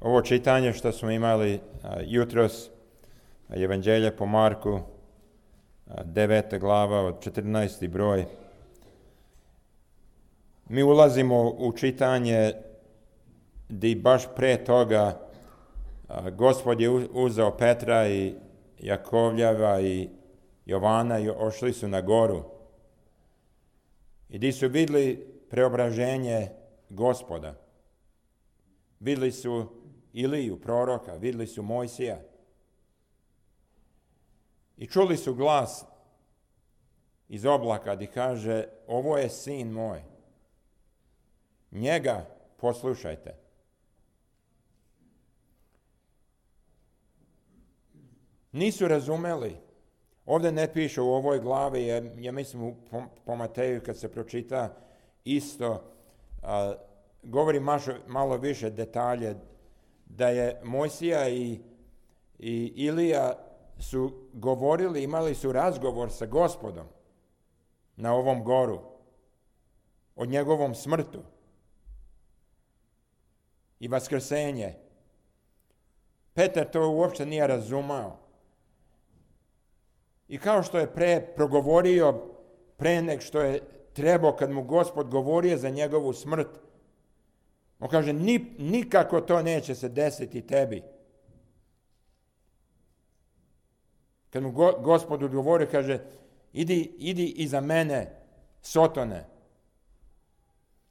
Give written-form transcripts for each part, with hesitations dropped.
Ovo čitanje što smo imali jutros, Evanđelje po Marku, 9. glava od 14. broj. Mi ulazimo u čitanje gdje baš pre toga Gospod je uzeo Petra i Jakovljeva i Jovana i ošli su na goru. I gdje su vidjeli preobraženje Gospoda. Vidjeli su Iliju, proroka, vidjeli su Mojsija. I čuli su glas iz oblaka gdje kaže: ovo je sin moj. Njega poslušajte. Nisu razumeli. Ovdje ne piše u ovoj glavi, ja mislim po Mateju kad se pročita isto, govori malo više detalje, da je Mojsija i Ilija su govorili, imali su razgovor sa Gospodom na ovom goru o njegovom smrtu i vaskrsenje. Petar to uopće nije razumao. I kao što je progovorio pre nek što je trebao kad mu Gospod govorio za njegovu smrt, on kaže: nikako to neće se desiti tebi. Kad mu Gospod odgovorio, kaže: idi iza mene, Sotone.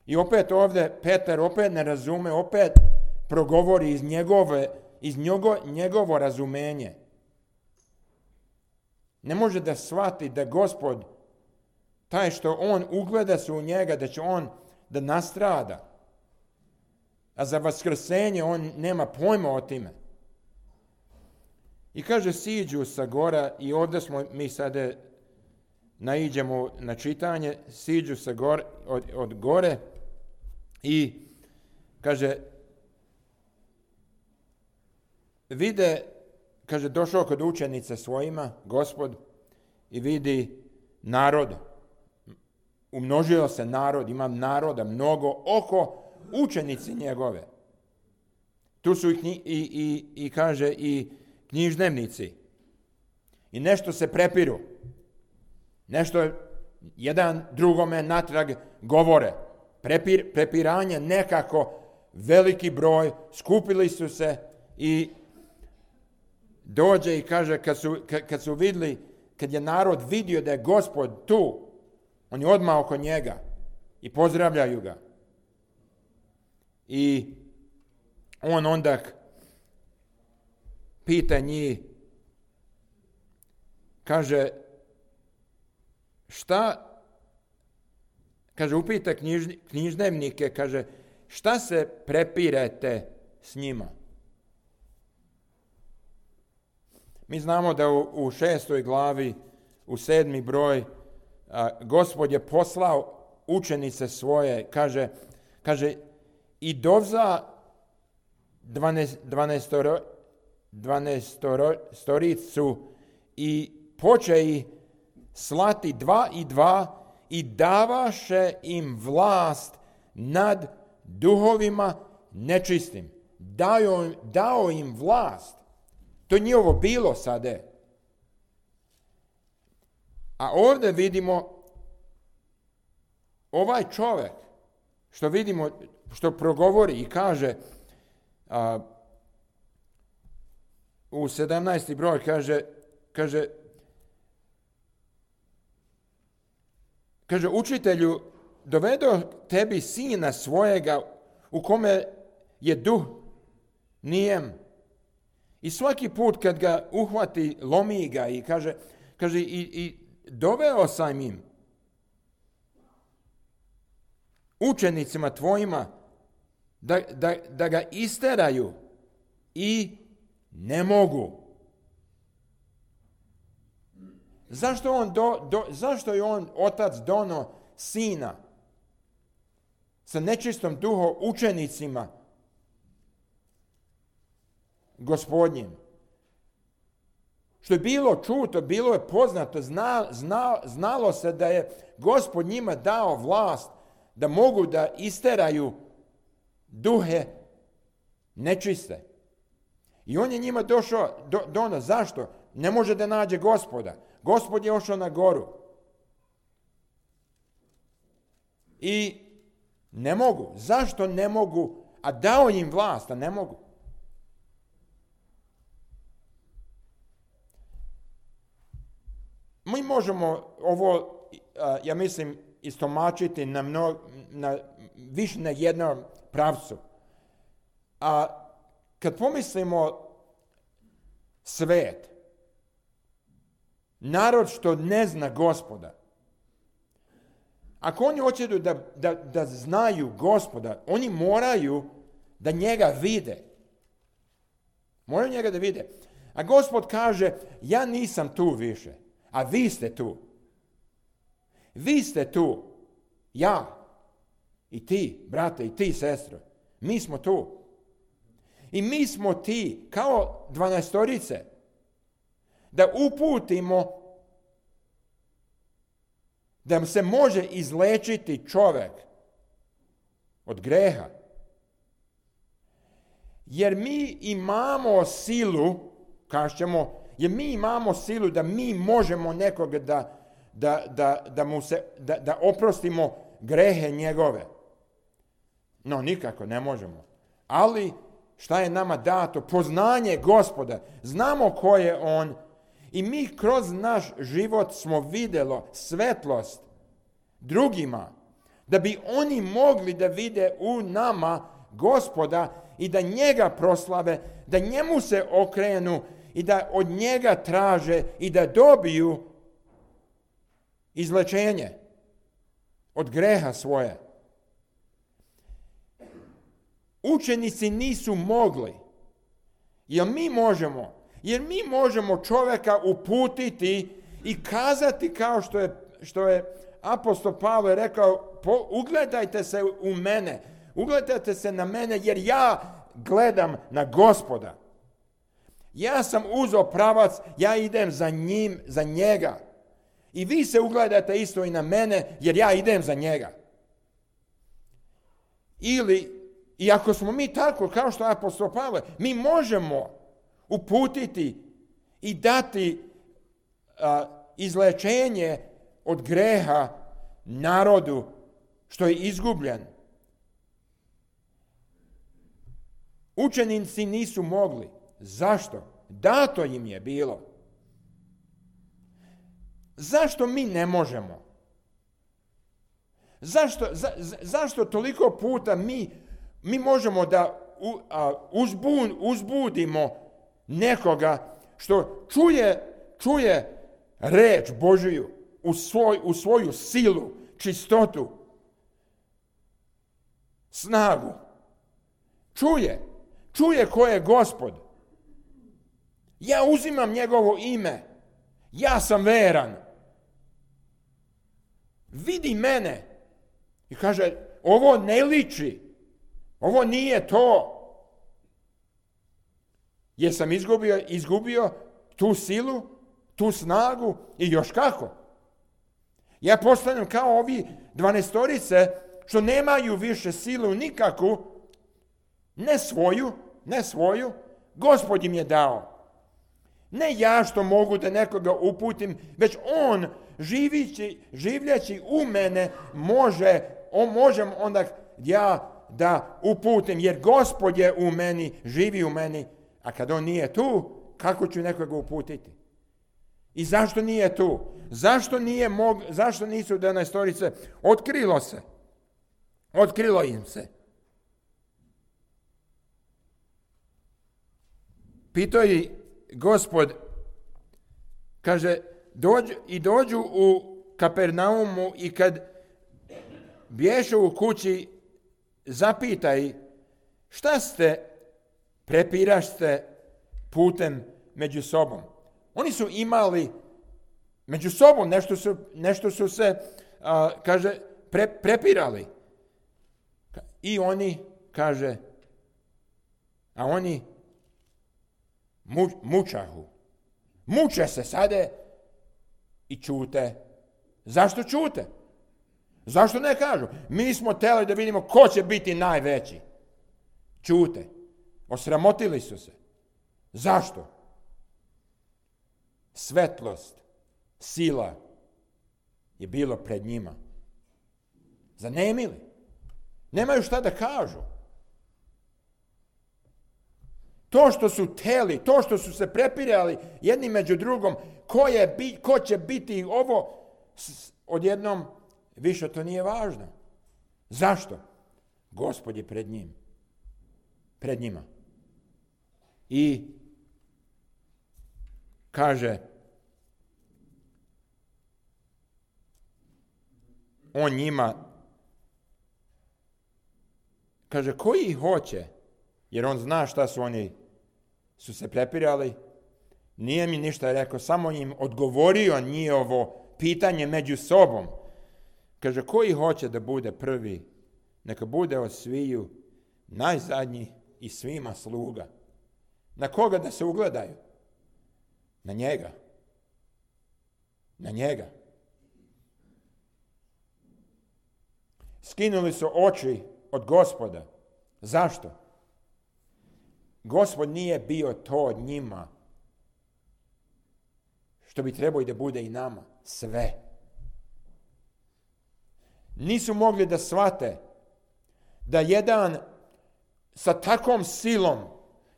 I opet ovdje Petar opet ne razume, opet progovori iz njegovo razumenje. Ne može da shvati da Gospod, taj što on ugleda se u njega, da će on da nastrada. A za vaskrsenje on nema pojma o time. I kaže, siđu sa gora, i ovdje smo mi sada naiđemo na čitanje, siđu sa od gore i kaže, vide, kaže, došao kod učenica svojima, Gospod, i vidi narod. Umnožio se narod, ima naroda mnogo oko učenici njegove. Tu su i kaže i književnici. I nešto se prepiru. Nešto jedan drugome natrag govore. Prepiranje nekako, veliki broj, skupili su se i dođe i kaže, kad su vidjeli, kad je narod vidio da je Gospod tu, oni odmah oko njega i pozdravljaju ga. I on onda pita njih, kaže, upita književnike, kaže, šta se prepirete s njima? Mi znamo da u 6. glavi, u 7. broj, Gospod je poslao učenice svoje, kaže i dovza 12 i poče ih slati 2 i 2 i davaše im vlast nad duhovima nečistim. Dao im vlast. To nije ovo bilo sada. A ovdje vidimo ovaj čovjek, što vidimo, što progovori i kaže, u 17. broj kaže, učitelju, dovedo tebi sina svojega u kome je duh nijem. I svaki put kad ga uhvati, lomi ga i kaže i doveo sam im, učenicima tvojima, da ga isteraju i ne mogu. Zašto je on otac dono sina sa nečistom duhom učenicima Gospodnjim? Što je bilo čuto, bilo je poznato, znalo se da je Gospod njima dao vlast da mogu da isteraju duhe nečiste. I on je njima došao do nas. Zašto? Ne može da nađe Gospoda. Gospod je ošao na goru. I ne mogu. Zašto ne mogu? A dao im vlast, a ne mogu. Mi možemo ovo, ja mislim, istomačiti više na jednom pravcu. A kad pomislimo svet, narod što ne zna Gospoda, ako oni hoće da znaju Gospoda, oni moraju da njega vide. Moraju njega da vide. A Gospod kaže, ja nisam tu više, a vi ste tu. Vi ste tu. Ja. I ti, brate, i ti, sestro. Mi smo tu. I mi smo ti, kao 12-torice, da uputimo da se može izlečiti čovjek od greha. Jer mi imamo silu, kažemo, jer mi imamo silu da mi možemo nekoga da oprostimo grehe njegove. No, nikako ne možemo. Ali, šta je nama dato? Poznanje Gospoda. Znamo ko je on. I mi kroz naš život smo vidjeli svetlost drugima, da bi oni mogli da vide u nama Gospoda i da njega proslave, da njemu se okrenu i da od njega traže i da dobiju izlečenje od greha svoje. Učenici nisu mogli, jer mi možemo čovjeka uputiti i kazati kao što je apostol Pavle rekao, ugledajte se u mene, ugledajte se na mene jer ja gledam na Gospoda. Ja sam uzeo pravac, ja idem za njega. I vi se ugledate isto i na mene jer ja idem za njega. I ako smo mi tako, kao što je apostol Pavle, mi možemo uputiti i dati izlečenje od greha narodu što je izgubljen. Učenici nisu mogli. Zašto? Dato im je bilo. Zašto mi ne možemo? Zašto toliko puta mi možemo da uzbudimo nekoga što čuje reč Božiju u svoju silu, čistotu, snagu. Čuje ko je Gospod. Ja uzimam njegovo ime. Ja sam veran. Vidi mene. I kaže, ovo ne liči. Ovo nije to. Jesam izgubio tu silu, tu snagu i još kako. Ja postanem kao ovi 12-torice što nemaju više silu nikakvu, ne svoju, Gospod im je dao. Ne ja što mogu da nekoga uputim, već on življeći u mene možem onda ja da uputim, jer Gospod je u meni, živi u meni, a kad on nije tu, kako ću nekoga uputiti? I zašto nije tu? Zašto nisu 12-torice? Otkrilo im se. Pitao je Gospod, kaže, dođu u Kapernaumu i kad bješu u kući, zapitaj, šta prepirašte putem među sobom? Oni su imali među sobom, nešto su se, kaže, prepirali. I oni, kaže, a oni mučahu. Muče se sade i čute. Zašto čute? Zašto ne kažu? Mi smo htjeli da vidimo ko će biti najveći. Čute. Osramotili su se. Zašto? Svetlost, sila je bilo pred njima. Zanemili. Nemaju šta da kažu. To što su teli, to što su se prepirali jedni među drugom, ko će biti ovo, odjednom više to nije važno. Zašto? Gospod je pred njima. I kaže, on njima, kaže, koji ih hoće, jer on zna šta su se prepirali, nije mi ništa rekao, samo im odgovorio njihovo pitanje među sobom. Kaže, koji hoće da bude prvi, neka bude od sviju najzadnji i svima sluga. Na koga da se ugledaju? Na njega. Na njega. Skinuli su oči od Gospoda. Zašto? Gospod nije bio to njima što bi trebao i da bude i nama. Sve. Nisu mogli da shvate da jedan sa takvom silom,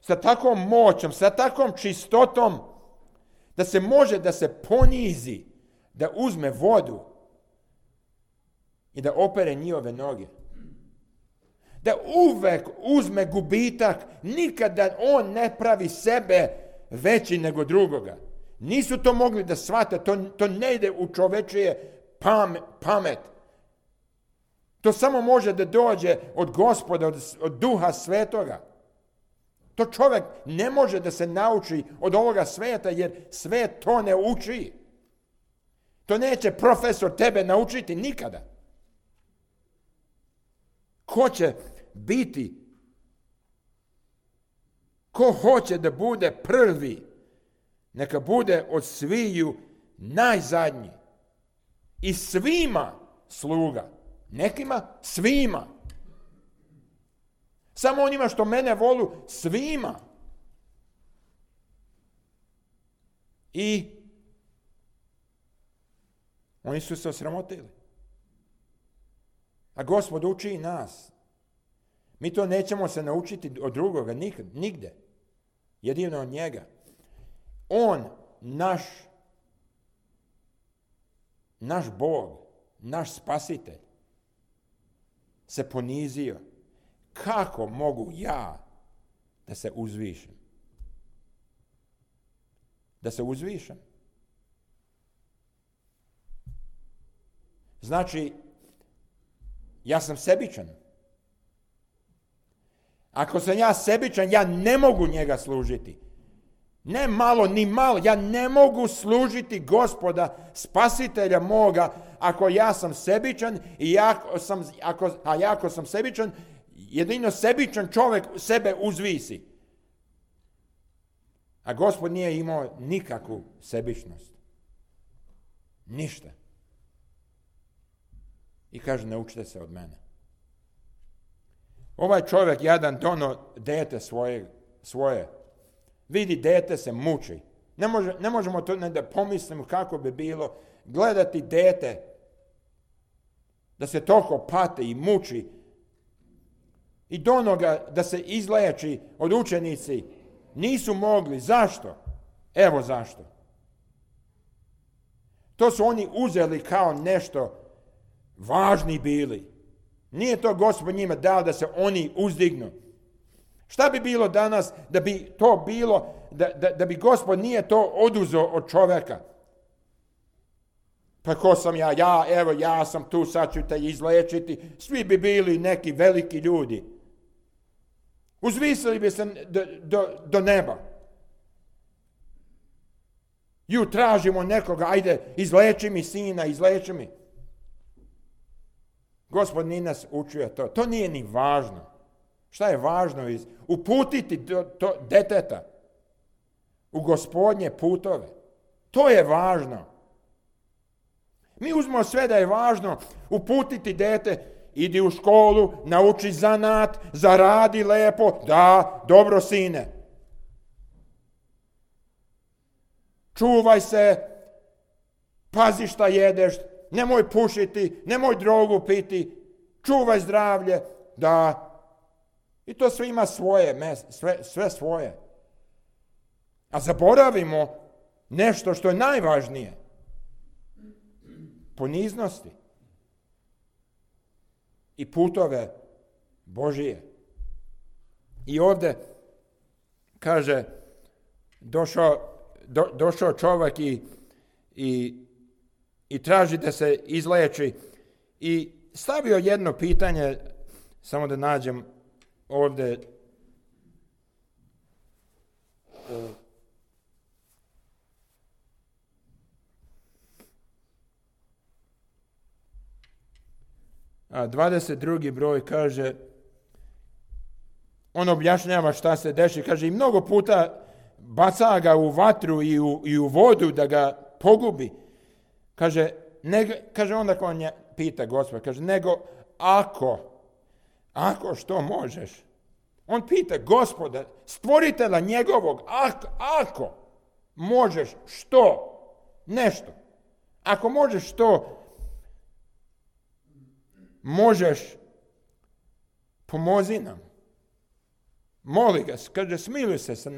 sa takvom moćom, sa takvom čistotom, da se može da se ponizi, da uzme vodu i da opere njihove noge. Da uvek uzme gubitak, nikada on ne pravi sebe veći nego drugoga. Nisu to mogli da shvate, to ne ide u čovečije pamet. To samo može da dođe od Gospoda, od Duha Svetoga. To čovjek ne može da se nauči od ovoga sveta, jer svet to ne uči. To neće profesor tebe naučiti nikada. Ko će biti? Ko hoće da bude prvi? Neka bude od sviju najzadnji. I svima sluga. Nekima svima. Samo onima što mene volu, svima. I oni su se osramotili. A Gospod uči i nas. Mi to nećemo se naučiti od drugoga, nigde. Jedino od njega. On, naš Bog, naš Spasitelj, se ponizio. Kako mogu ja da se uzvišem? Da se uzvišem. Znači, ja sam sebičan. Ako sam ja sebičan, ja ne mogu njega služiti. Ne malo, ni malo. Ja ne mogu služiti Gospoda, Spasitelja moga, ako ja sam sebičan i ako sam sebičan, jedino sebičan čovjek sebe uzvisi. A Gospod nije imao nikakvu sebičnost. Ništa. I kaže, naučite se od mene. Ovaj čovjek jadan dono dete svoje. Vidi, dete se muči. Ne možemo to ne da pomislimo kako bi bilo gledati dete da se toliko pate i muči i dono ga da se izleči od učenici. Nisu mogli. Zašto? Evo zašto. To su oni uzeli kao nešto važni bili. Nije to Gospod njima dao da se oni uzdignu. Šta bi bilo danas da bi to bilo, da bi Gospod nije to oduzeo od čovjeka? Pa ko sam ja? Ja sam tu, sad ću te izlečiti. Svi bi bili neki veliki ljudi. Uzvisili bi se do neba. Ju tražimo nekoga, ajde, izleči mi sina, izleči mi. Gospod nije nas učio to. To nije ni važno. Šta je važno? Uputiti to deteta u Gospodnje putove. To je važno. Mi uzmemo sve da je važno uputiti dete idi u školu, nauči zanat, zaradi lepo, da, dobro sine. Čuvaj se, pazi šta jedeš, nemoj pušiti, nemoj drogu piti, čuvaj zdravlje, da. I to sve ima svoje, sve svoje. A zaboravimo nešto što je najvažnije. Poniznosti i putove Božije. I ovdje kaže, došao čovjek i traži da se izleči i stavio jedno pitanje, samo da nađem ovdje. A 22. broj kaže, on objašnjava šta se deši, kaže i mnogo puta baca ga u vatru i u vodu da ga pogubi. Kaže onda ko on pita Gospod, kaže nego ako što možeš. On pita Gospoda, stvoritelja njegovog, ako možeš što, nešto. Ako možeš što, možeš, pomozi nam. Moli ga, kaže, smiluj se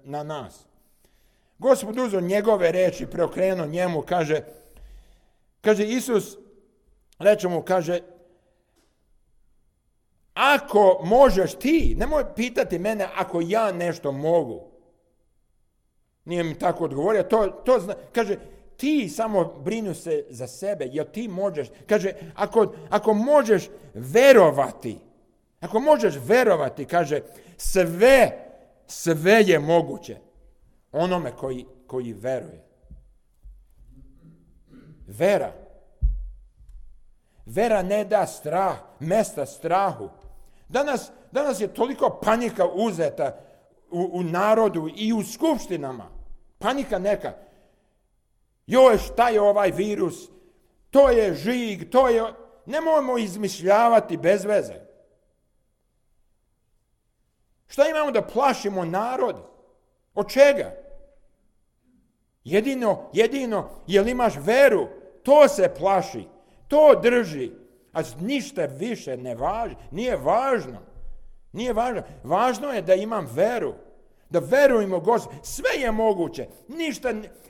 na nas. Gospod uzeo njegove reči, preokrenuo njemu, kaže Isus, reče mu, kaže, ako možeš ti, nemoj pitati mene ako ja nešto mogu. Nije mi tako odgovorio, to zna, kaže, ti samo brinu se za sebe, jer ti možeš, kaže, ako možeš verovati, kaže, sve je moguće onome koji veruje. Vera ne da mesta strahu. Danas je toliko panika uzeta u narodu i u skupštinama. Panika neka. Joj, šta je ovaj virus? To je žig, nemojmo izmišljavati bez veze. Šta imamo da plašimo narod? Od čega? Jedino, jel imaš veru? To se plaši, to drži. A ništa više nije važno. Važno je da imam veru. Da verujemo Gospod. Sve je moguće.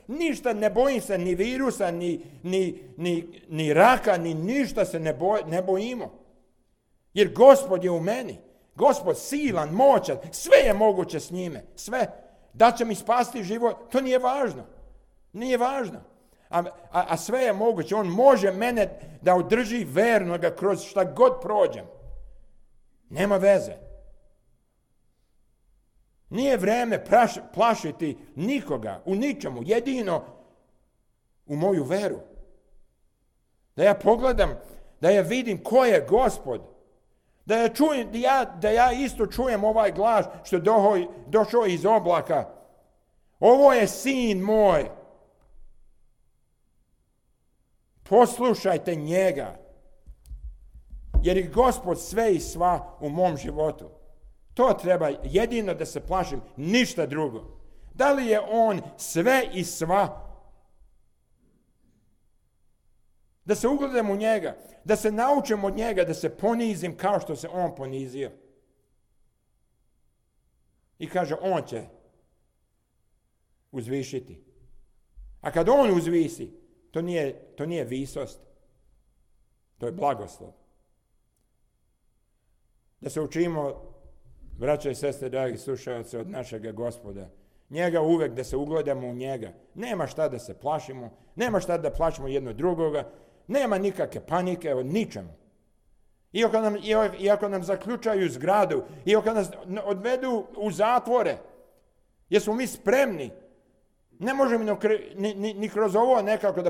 Ništa ne bojim se, ni virusa, ni raka, ni ništa se ne bojimo. Jer Gospod je u meni. Gospod silan, moćan, sve je moguće s njime. Sve. Da će mi spasti život, to nije važno. Nije važno. A sve je moguće. On može mene da održi vernoga kroz šta god prođem. Nema veze. Nije vreme plašiti nikoga u ničemu, jedino u moju veru. Da ja pogledam, da ja vidim ko je Gospod. Da ja isto čujem ovaj glas što je došao iz oblaka. Ovo je sin moj. Poslušajte njega. Jer je Gospod sve i sva u mom životu. To treba jedino da se plašim, ništa drugo. Da li je on sve i sva? Da se ugledam u njega, da se naučim od njega, da se ponizim kao što se on ponizio. I kaže, on će uzvišiti. A kad on uzvisi, to nije visost, to je blagoslov. Da se učimo, braća i sestre, dragi slušalci, od našega Gospoda. Njega uvek, da se ugledamo u njega. Nema šta da se plašimo, nema šta da plašimo jedno drugoga, nema nikakve panike od ničemu. Iako nam zaključaju zgradu, iako nas odvedu u zatvore, jer smo mi spremni, ne možemo ni kroz ovo nekako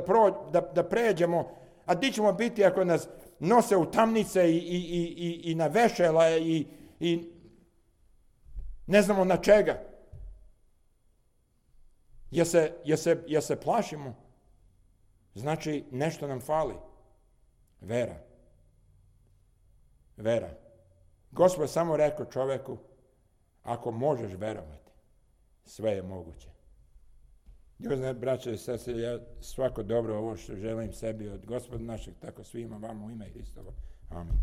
da pređemo, a di ćemo biti ako nas nose u tamnice i na vešala i ne znamo na čega. Jer se plašimo. Znači, nešto nam fali. Vera. vera. Gospod samo rekao čoveku, ako možeš verovati, sve je moguće. Ljubazne braće i sestre, ja svako dobro ovo što želim sebi od Gospoda našeg, tako svima vama u ime Hristovo. Amin.